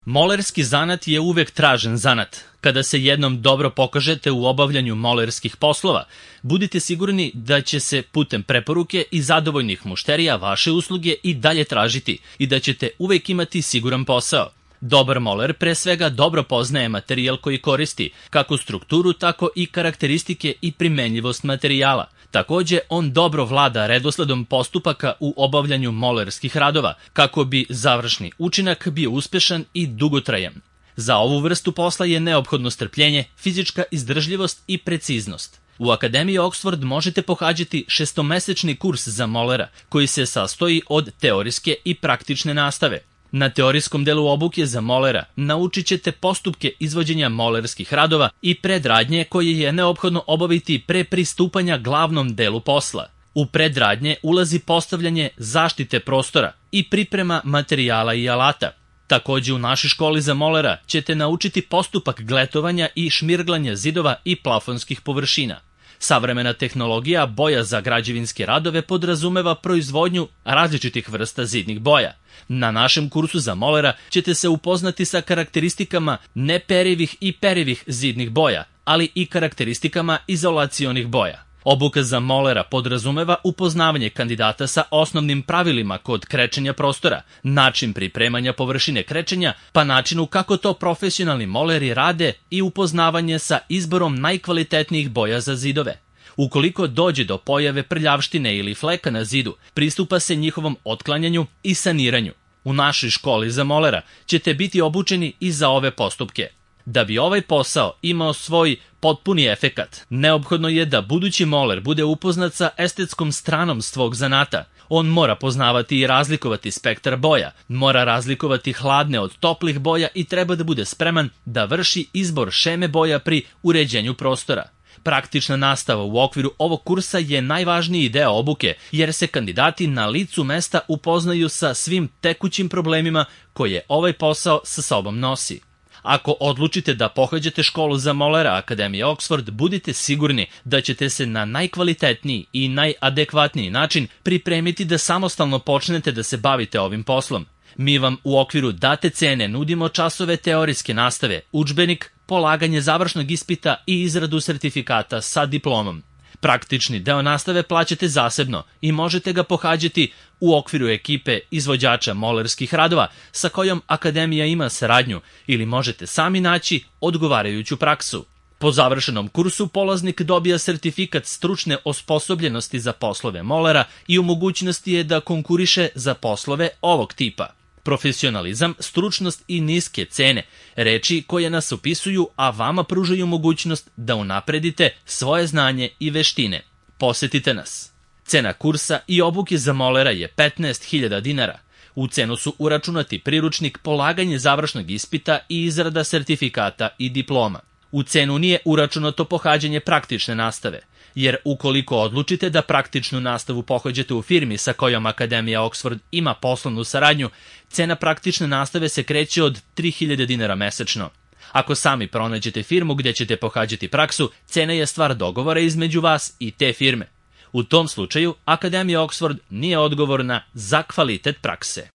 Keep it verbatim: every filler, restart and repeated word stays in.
Molerski zanat je uvek tražen zanat. Kada se jednom dobro pokažete u obavljanju molerskih poslova, budite sigurni da će se putem preporuke i zadovoljnih mušterija vaše usluge i dalje tražiti i da ćete uvek imati siguran posao. Dobar moler pre svega dobro poznaje materijal koji koristi, kako strukturu, tako i karakteristike i primenljivost materijala. Takođe, on dobro vlada redosledom postupaka u obavljanju molerskih radova, kako bi završni učinak bio uspešan i dugotrajan. Za ovu vrstu posla je neophodno strpljenje, fizička izdržljivost i preciznost. U Akademiji Oxford možete pohađati šestomesečni kurs za molera, koji se sastoji od teorijske i praktične nastave. Na teorijskom delu obuke za molera naučit ćete postupke izvođenja molerskih radova i predradnje koje je neophodno obaviti pre pristupanja glavnom delu posla. U predradnje ulazi postavljanje zaštite prostora i priprema materijala i alata. Takođe u našoj školi za molera ćete naučiti postupak gletovanja i šmirglanja zidova i plafonskih površina. Savremena tehnologija boja za građevinske radove podrazumeva proizvodnju različitih vrsta zidnih boja. Na našem kursu za molera ćete se upoznati sa karakteristikama neperivih i perivih zidnih boja, ali i karakteristikama izolacionih boja. Obuka za molera podrazumeva upoznavanje kandidata sa osnovnim pravilima kod krečenja prostora, način pripremanja površine krečenja, pa načinu kako to profesionalni moleri rade i upoznavanje sa izborom najkvalitetnijih boja za zidove. Ukoliko dođe do pojave prljavštine ili fleka na zidu, pristupa se njihovom otklanjanju i saniranju. U našoj školi za molera ćete biti obučeni i za ove postupke. Da bi ovaj posao imao svoj potpuni efekat, neophodno je da budući moler bude upoznat sa estetskom stranom svog zanata. On mora poznavati i razlikovati spektar boja, mora razlikovati hladne od toplih boja i treba da bude spreman da vrši izbor šeme boja pri uređenju prostora. Praktična nastava u okviru ovog kursa je najvažniji deo obuke, jer se kandidati na licu mesta upoznaju sa svim tekućim problemima koje ovaj posao sa sobom nosi. Ako odlučite da pohađate školu za molera Akademije Oxford, budite sigurni da ćete se na najkvalitetniji i najadekvatniji način pripremiti da samostalno počnete da se bavite ovim poslom. Mi vam u okviru date cene nudimo časove teorijske nastave, udžbenik, polaganje završnog ispita i izradu sertifikata sa diplomom. Praktični deo nastave plaćate zasebno i možete ga pohađati u okviru ekipe izvođača molerskih radova sa kojom Akademija ima saradnju ili možete sami naći odgovarajuću praksu. Po završenom kursu polaznik dobija sertifikat stručne osposobljenosti za poslove molera i u mogućnosti je da konkuriše za poslove ovog tipa. Profesionalizam, stručnost i niske cene, reči koje nas opisuju, a vama pružaju mogućnost da unapredite svoje znanje i veštine. Posetite nas. Cena kursa i obuke za molera je petnaest hiljada dinara. U cenu su uračunati priručnik, polaganje završnog ispita i izrada sertifikata i diploma. U cenu nije uračunato pohađanje praktične nastave, jer ukoliko odlučite da praktičnu nastavu pohađate u firmi sa kojom Akademija Oxford ima poslovnu saradnju, cena praktične nastave se kreće od tri hiljade dinara mesečno. Ako sami pronađete firmu gde ćete pohađati praksu, cena je stvar dogovora između vas i te firme. U tom slučaju, Akademija Oxford nije odgovorna za kvalitet prakse.